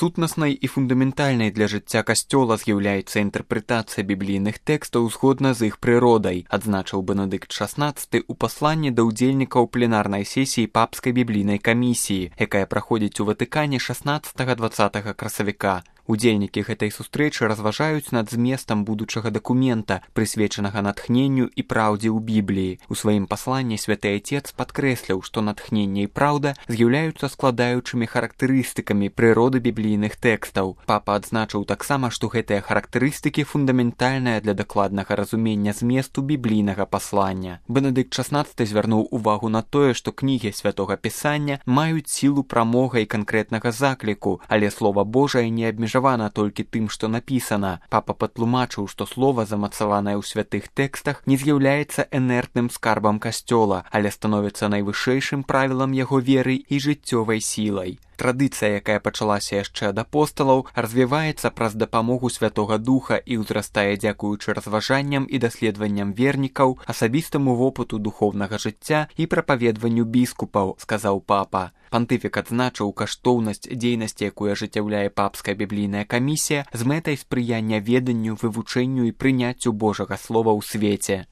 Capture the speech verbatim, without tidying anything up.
Сутнаснай і фундаментальнай для жыцця касцёла з'яўляецца інтэрпрэтацыя біблійных тэкстаў згодна з іх прыродай, адзначыў Бенедыкт шаснаццаты ў пасланні да ўдзельнікаў пленарнай сесіі папскай біблійнай камісіі, якая праходзіць у Ватыкане шаснаццатага-дваццатага красавіка. Удзельнікі гэтай сустрэчы разважаюць над зместам будучага дакумента, прысвечанага натхненню і праўдзе ў Бібліі. У сваім пасланні святы Айцец падкрэсліў, што натхненне і праўда з'яўляюцца складаючымі характарыстыкамі прыроды біблійных тэкстаў. Папа адзначыў таксама, што гэтыя характарыстыкі фундаментальныя для дакладнага разумення зместу біблійнага паслання. Бенедыкт шаснаццаты звярнуў увагу на тое, што кнігі святога Пісання маюць сілу прамога і канкрэтнага закліку, але Слова Божае не абмежавана толькі тым, што напісана. Папа патлумачыў, што слова, замацаванае ў святых тэкстах, не з'яўляецца энертным скарбам касцёла, але становіцца найвышэйшым правілам яго веры і жыццёвай сілай. Традыцыя, якая пачалася яшчэ ад апосталаў, развіваецца праз дапамогу Святога Духа і ўзрастае дзякуючы разважанням і даследаванням вернікаў, асабістаму вопыту духоўнага жыцця і прапаведванню біскупаў, сказаў папа. Пантыфік адзначыў каштоўнасць дзейнасці, якую ажыццяўляе папская біблійная камісія з мэтай спрыяння веданню, вывучэнню і прыняццю Божага слова ў свеце.